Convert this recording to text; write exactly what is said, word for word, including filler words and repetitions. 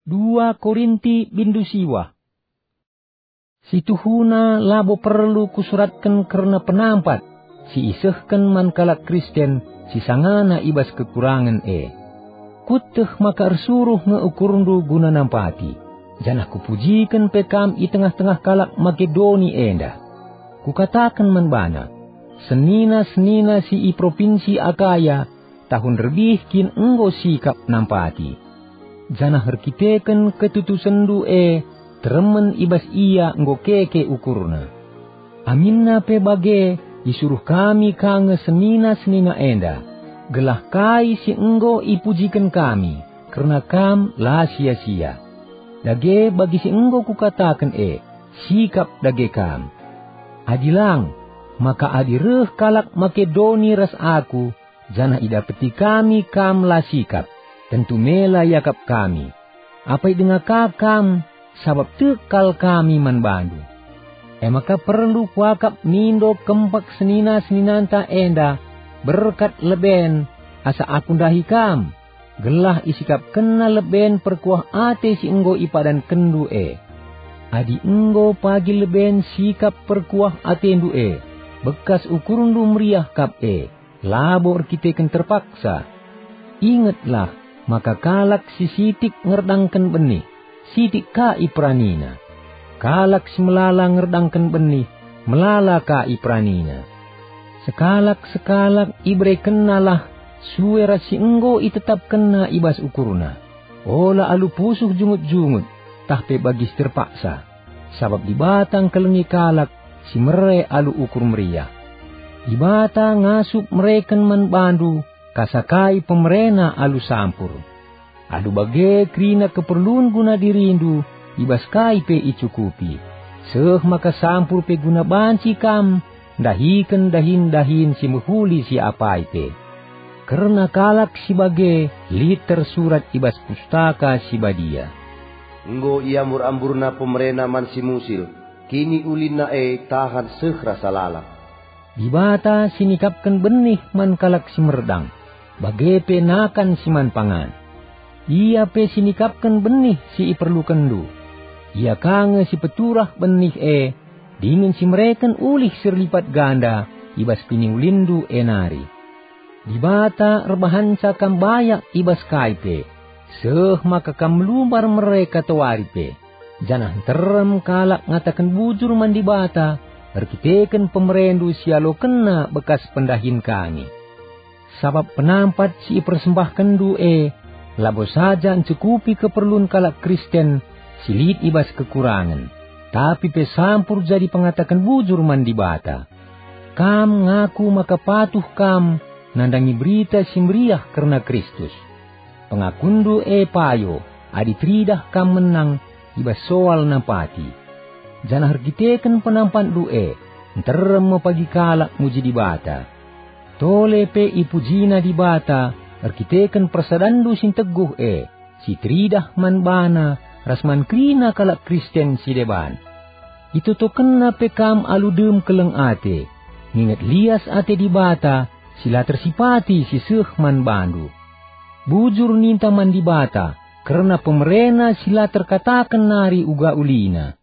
Dua Korinti bindu siwah. Situhuna labo perlu kusuratken kerna penampat si isehken man kalak Kristen si sangana i bas kekurangen e. Kueteh maka ersuruh nge ukurndu guna nampati, janah kupujiken pe kam i tengah-tengah kalak Makedoni enda. Kukataken man bana, "Senina-senina si i propinsi Akaya tahun rebih kin enggo sikap nampati." Janah erkiteken ketutusenndu e, teremen i bas ia enggo keke ukurna. Aminna pe bage, isuruh kami ka nge senina-senina enda, gelah kai si enggo ipujiken kami kerna kam la sia-sia. Dage bagi si enggo kukataken e, sikap dage kam. Adi lang, maka adi reh kalak Makedoni ras aku, janah idapeti kami kam la sikap, tentu mela iakap kami. Apai denga ka kam, sabap tek kal kami man bandu. E maka perlu kuakap mindo kempak senina-seninanta enda berkat leben asa aku ndahi kam, gelah isikapkenna leben perkuah ate si enggo ipadankenndu e. Adi enggo pagi leben sikap perkuah atendu e, bekas ukurndu meriah kap e, labo erkiteken terpaksa. Ingetlah maka kalak si sitik ngerdangken benih, sitik ka iperanina. Kalak si melala ngerdangken benih, melala ka iperanina. Sekalak-sekalak iberekennalah sue ras si enggo itetapkenna i bas ukurna. Ola alu pusuh jungut-jungut, tah pe bagi si terpaksa. Sabap Dibata ngkelengi kalak si mere alu ukur meriah. Dibata ngasup mereken man bandu kasakai pemerena alu sampur. Alu bage kerina keperlun guna dirindu i bas kai pe icukupi, seh maka sampur pe guna banci kam ndahiken dahin-dahin si mehuli si apai pe. Kerna kalak si bage lit tersurat i bas Pustaka Si Badia, "Enggo iambur-amburna pemerena man si musil, kiniulinna e tahan seh rasa lalap." Dibata si nikapken benih man kalak si merdang, bage pe nakan si man pangan. Ia pe si nikapken benih si iperlukenndu. Ia ka nge si peturah benih e, dingen si mereken ulih si erlipat ganda i bas kiniulinndu e nari. Dibata erbahanca kam bayak i bas kai pe, seh maka kam melumbar mere katawari pe, janah nterem kalak ngataken bujur man Dibata erkiteken pemerendu si ialokenNa bekas pendahin kami. Sabap penampat si ipersembahkenndu e labo saja ncukupi keperlun kalak Kristen si lit i bas kekurangen, tapi pe sampur jadi pengataken bujur man Dibata. Kam ngaku maka patuh kam nandangi Berita Si Meriah kerna Kristus. Pengakunndu e payo adi teridah kam menang i bas soal nampati. Janah erkiteken penampatndu e, nterem me pagi kalak muji Dibata. Tole pe ipujina Dibata erkiteken persadanndu si nteguh e, si teridah man baNa ras man kerina kalak Kristen si deban. ItotokenNa pe kam alu dem keleng ate, nginget lias ate Dibata si la tersipati si seh man bandu. Bujur ninta man Dibata kerna pemereNa si la terkataken nari uga ulina.